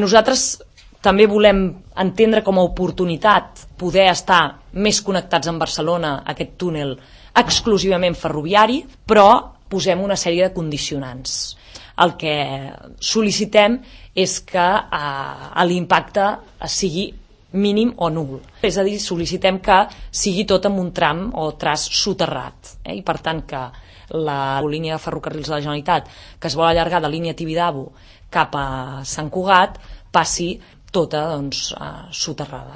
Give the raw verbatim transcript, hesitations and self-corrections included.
Nosaltres també volem entendre com a oportunitat poder estar més connectats amb Barcelona, aquest túnel exclusivament ferroviari, però posem una sèrie de condicionants. El que sol·licitem és que eh, l'impacte sigui mínim o nul. És a dir, sol·licitem que sigui tot en un tram o traç soterrat. Eh? I per tant que la línia de ferrocarrils de la Generalitat, que es vol allargar de línia Tibidabo cap a Sant Cugat, passi tota doncs, eh, soterrada.